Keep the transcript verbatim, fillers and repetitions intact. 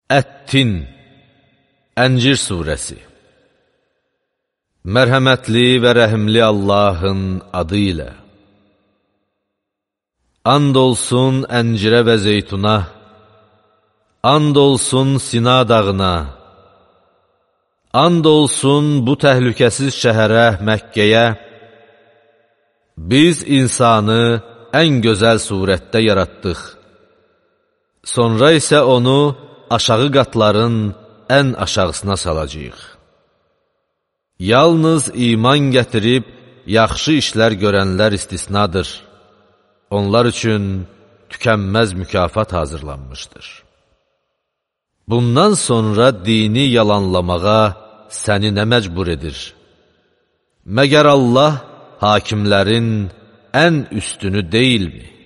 Ət-Tin, Əncir surəsi. Mərhəmətli və rəhimli Allahın adı ilə. And olsun əncirə və zeytuna, and olsun Sina dağına, and olsun bu təhlükəsiz şəhərə, Məkkəyə. Biz insanı ən gözəl surətdə yaratdıq. Sonra isə onu aşağı qatların ən aşağısına salacağıq. Yalnız iman gətirib, yaxşı işlər görənlər istisnadır. Onlar üçün tükənməz mükafat hazırlanmışdır. Bundan sonra dini yalanlamağa səni nə məcbur edir? Məgər Allah hakimlərin ən üstünü deyilmi?